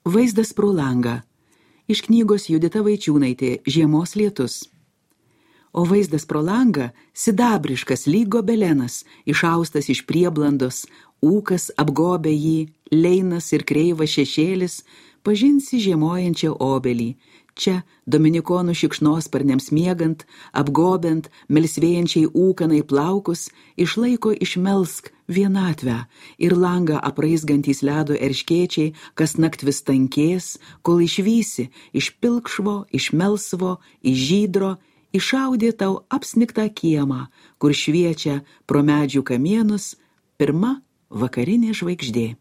Vaizdas pro langą. Iš knygos Judita Vaičiūnaitė Žiemos lietus. O vaizdas pro langą sidabriškas lyg gobelenas, išaustas iš prieblandos, ūkas apgobė jį, leinas ir kreivas šešėlis, pažinsi žiemojančią obelį. Čia, dominikonų šikšnosparniams miegant, apgobiant, melsvėjančiai ūkanai plaukus, išlaiko išmelsk vienatvę ir langą apraizgantys ledo erškėčiai, kas nakt vis tankės, kol išvysi iš pilkšvo, iš melsvo, iš žydro, išaudė tau apsnigtą kiemą, kur šviečia pro medžių kamienus pirma vakarinė žvaigždė.